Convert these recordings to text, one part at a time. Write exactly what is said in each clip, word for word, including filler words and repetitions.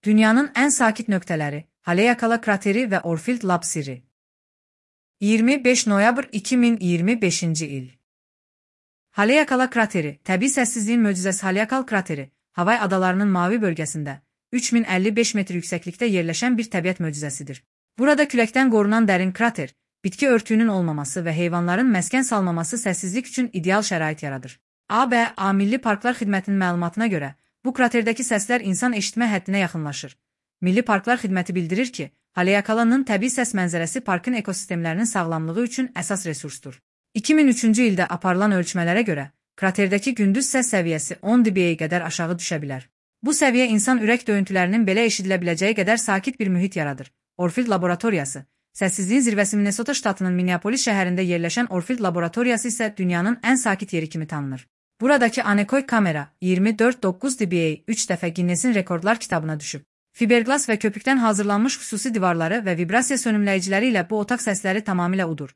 Dünyanın ən sakit nöqtələri, Haleakala krateri və Orfield Lab sirri. iyirmi beş noyabr iki min iyirmi beşinci il. Haleakala krateri, təbii səssizliyin möcüzəsi Haleakal krateri, Havay adalarının mavi bölgəsində, üç min əlli beş metr yüksəklikdə yerləşən bir təbiət möcüzəsidir. Burada küləkdən qorunan dərin krater, bitki örtüyünün olmaması və heyvanların məskən salmaması səssizlik üçün ideal şərait yaradır. A B A Milli Parklar Xidmətinin məlumatına görə, bu kraterdəki səslər insan eşitmə həddinə yaxınlaşır. Milli Parklar Xidməti bildirir ki, Haleakalanın təbii səs mənzərəsi parkın ekosistemlərinin sağlamlığı üçün əsas resursdur. iki min üçüncü ildə aparılan ölçmələrə görə, kraterdəki gündüz səs səviyyəsi on dB'yə qədər aşağı düşə bilər. Bu səviyyə insan ürək döyüntülərinin belə eşidilə biləcəyi qədər sakit bir mühit yaradır. Orfield Laboratoriyası, səssizliyin zirvəsi Minnesota ştatının Minneapolis şəhərində yerləşən Orfield Laboratoriyası isə dünyanın ən sakit yeri kimi tanınır. Buradakı anekoy kamera iyirmi dörd doqquz dB'yə üç dəfə Guinness-in rekordlar kitabına düşüb. Fiberglas və köpükdən hazırlanmış xüsusi divarları və vibrasiya sönümləyiciləri ilə bu otaq səsləri tamamilə udur.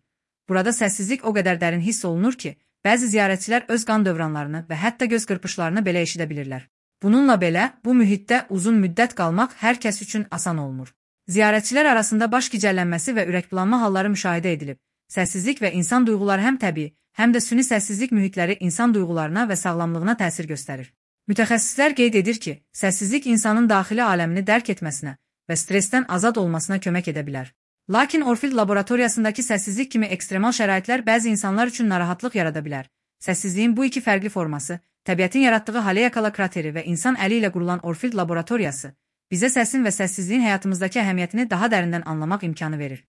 Burada səssizlik o qədər dərin hiss olunur ki, bəzi ziyarətçilər öz qan dövranlarını və hətta göz qırpışlarını belə eşidə bilirlər. Bununla belə, bu mühitdə uzun müddət qalmaq hər kəs üçün asan olmur. Ziyarətçilər arasında baş gicəllənməsi və ürəkbulanma halları müşahidə edilib. Səssizlik və insan duyğuları həm təbii, həm də süni səssizlik mühitləri insan duyğularına və sağlamlığına təsir göstərir. Mütəxəssislər qeyd edir ki, səssizlik insanın daxili aləmini dərk etməsinə və stressdən azad olmasına kömək edə bilər. Lakin Orfield Laboratoriyasındakı səssizlik kimi ekstremal şəraitlər bəzi insanlar üçün narahatlıq yarada bilər. Səssizliyin bu iki fərqli forması, təbiətin yaratdığı Haleakala krateri və insan əli ilə qurulan Orfield Laboratoriyası, bizə səsin və səssizliyin həyatımızdakı əhəmiyyətini daha dərindən anlamaq imkanı verir.